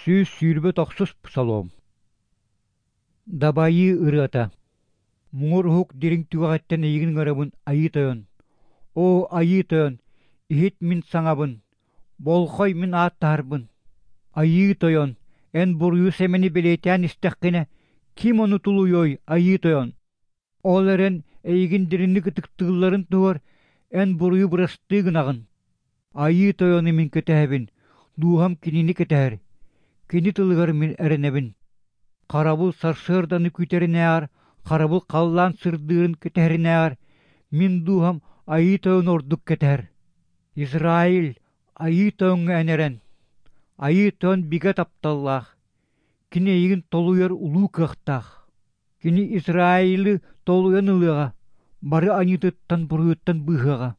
129 псалом. Дабайыы ырыата. Муҥур уһук дириҥ түгэҕиттэн эйигин ыҥырабын, Айыы Тойон. Оо, Айыы Тойон, иһит мин саҥабын, болхой мин ааттаһарбын. Айыы Тойон, эн буруйу-сэмэни бэлиэтээн истэххинэ, ким ону тулуйуой, Айыы Тойон? Ол эрэн эйигин дириҥник ытыктыылларын туһугар эн буруйу бырастыы гынаҕын. Айыы Тойону мин кэтэһэбин, дууһам кинини кэтэһэр, кини тылыгар мин эрэнэбин. Харабыл сарсыарданы күүтэринээҕэр, харабыл халлаан сырдыырын кэтэһэринээҕэр, мин дууһам Айыы Тойону ордук кэтэһэр. Израиль, Айыы Тойоҥҥо эн эрэн! Айыы Тойон бигэ тапталлаах, кини эйигин толуйар улуу кыахтаах. Кини Израилы толуйан ылыаҕа, бары аньыытыттан-буруйуттан быыһыаҕа.